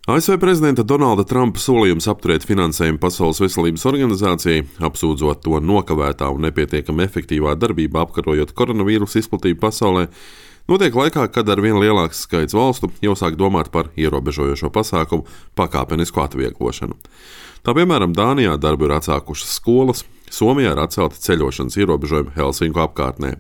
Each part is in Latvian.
ASV prezidenta Donalda Trumpa solījums apturēt finansējumu Pasaules veselības organizācijai, apsūdzot to nokavētā un nepietiekami efektīvā darbībā apkarojot koronavīrusu izplatību pasaulē, notiek laikā, kad arvien lielāks skaits valstu jau sāk domāt par ierobežojošo pasākumu pakāpenisku atvieglošanu. Tā piemēram, Dānijā darbu ir atsākušas skolas, Somijā ir atcelti ceļošanas ierobežojumi Helsinku apkārtnē.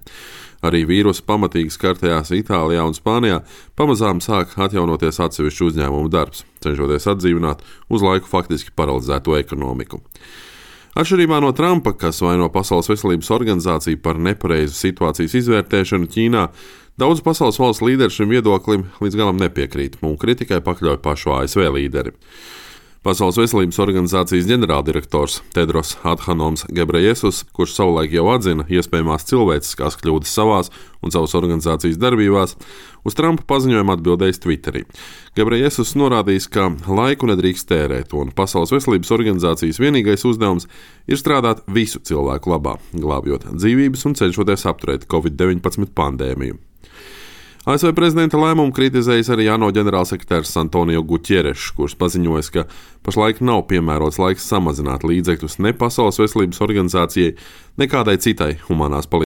Arī vīrusu pamatīgi skartajās Itālijā un Spānijā pamazām sāk atjaunoties atsevišķu uzņēmumu darbs, cenšoties atdzīvināt uz laiku faktiski paralizēto ekonomiku. Atšķirībā no Trumpa, kas vaino Pasaules veselības organizāciju par nepareizu situācijas izvērtēšanu Ķīnā, daudz pasaules valsts līderi šim viedoklim līdz galam nepiekrīt un kritikai pakļauj pašu ASV līderi. Pasaules veselības organizācijas ģenerāldirektors Tedros Adhanoms Gebrejesus, kurš savulaik jau atzina iespējamās cilvēciskās kļūdas savās un savas organizācijas darbībās, uz Trumpa paziņojumu atbildējis Twitterī. Gebrejesus norādījis, ka laiku nedrīkst tērēt, un Pasaules veselības organizācijas vienīgais uzdevums ir strādāt visu cilvēku labā, glābjot dzīvības un cenšoties apturēt Covid-19 pandēmiju. ASV prezidenta lēmumu kritizējis arī ANO ģenerālsekretārs Antonio Guterres, kurš paziņojis, ka pašlaik nav piemērots laiks samazināt līdzekļus ne Pasaules veselības organizācijai, ne kādai citai humanās palīdzības